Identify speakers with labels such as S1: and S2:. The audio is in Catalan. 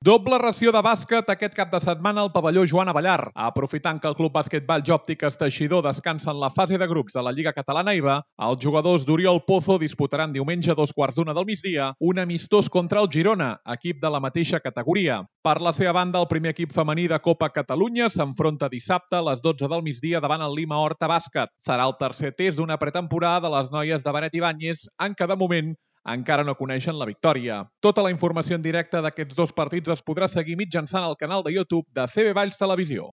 S1: Doble ració de bàsquet aquest cap de setmana al pavelló Joan Avellar. Aprofitant que el Club Basquetball Òptiques Teixidor descansa en la fase de grups de la Lliga Catalana IBA, els jugadors d'Oriol Pozo disputaran diumenge a 2:15 del migdia un amistós contra el Girona, equip de la mateixa categoria. Per la seva banda, el primer equip femení de Copa Catalunya s'enfronta dissabte a les 12 del migdia davant el Lima Horta Bàsquet. Serà el tercer test d'una pretemporada de les noies de Benet Ibáñez, en què de moment encara no coneixen la victòria. Tota la informació en directe d'aquests dos partits es podrà seguir mitjançant el canal de YouTube de CB Valls Televisió.